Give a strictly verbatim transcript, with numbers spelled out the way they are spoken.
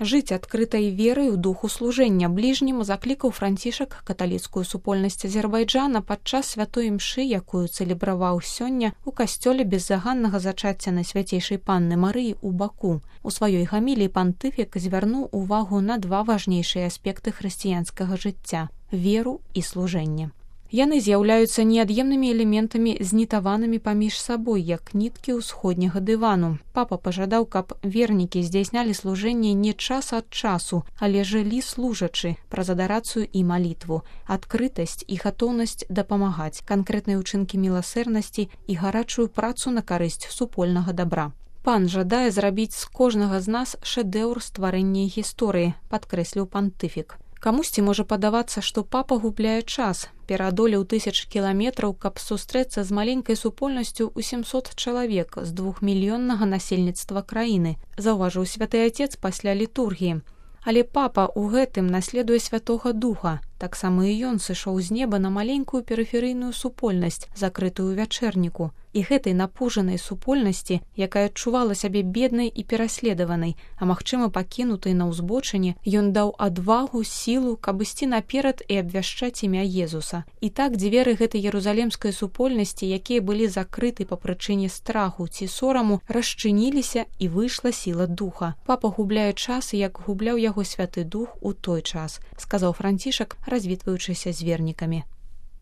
Жыць адкрытай верай у духу служэння бліжнім заклікаў Францішак каталіцкую супольнасць Азербайджана падчас святой імшы, якую цэлебраваў сёння ў касцёле беззаганнага зачацця Найсвяцейшай Панны Марыі ў Баку. У сваёй гаміліі пантыфік звярнуў увагу на два важнейшыя аспекты хрысціянскага жыцця – веру і служэнне. Яны з'яўляюцца неад'емнымі элементамі, знітаванымі паміж сабой, як ніткі ўсходняга дывану. Папа пажадаў, каб вернікі здзяйснялі служэнне не час ад часу, але жылі служачы праз адарацыю і малітву, адкрытасць і гатоўнасць дапамагаць, канкрэтныя ўчынкі міласэрнасці і гарачую працу на карысць супольнага дабра. Пан жадае зрабіць з кожнага з нас шэдэўр стварэння гісторыі, падкрэсліў пантыфік. Камусьці можа падавацца, што папа губляе час, пераадолеў тысячы кіламетраў, каб сустрэцца з маленькай супольнасцю ў сямсот чалавек з двухмільённага насельніцтва краіны, заўважыў святы Отец пасля літургіі. Але папа ў гэтым наследуе Святога Духа. Таксама і ён сышоў з неба на маленькую перыферыйную супольнасць, закрытую ў вячэрніку. І гэтай напужанай супольнасці, якая адчувала сябе беднай і пераследаванай, а магчыма пакінутай на ўзбочыне, ён даў адвагу, сілу, каб ісці наперад і абвяшчаць імя Езуса. І так дзверы гэтай ерузалемскай супольнасці, якія былі закрыты па прычыне страху ці сораму, расчыніліся і выйшла сіла духа. Папа губляе час, як губляў яго Святы Дух у той час, сказаў Францішак, развітваючыся з вернікамі.